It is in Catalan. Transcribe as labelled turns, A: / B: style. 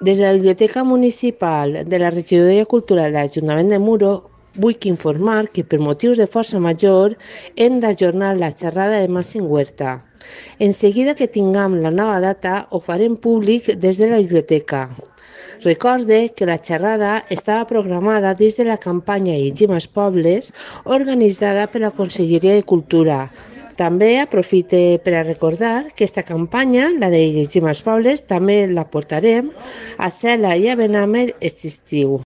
A: Des de la Biblioteca Municipal de la Regidoria Cultural de l'Ajuntament de Muro, vull informar que per motius de força major hem d'ajornar la xerrada de Màxim Huerta. En seguida que tinguem la nova data, ho farem públic des de la biblioteca. Recorde que la xerrada estava programada dins de la campanya Llegim als Pobles, organitzada per la Conselleria de Cultura. També aprofite per a recordar que aquesta campanya, la de Llegim als Pobles, també la portarem a Cela i a Benàmer aquest estiu.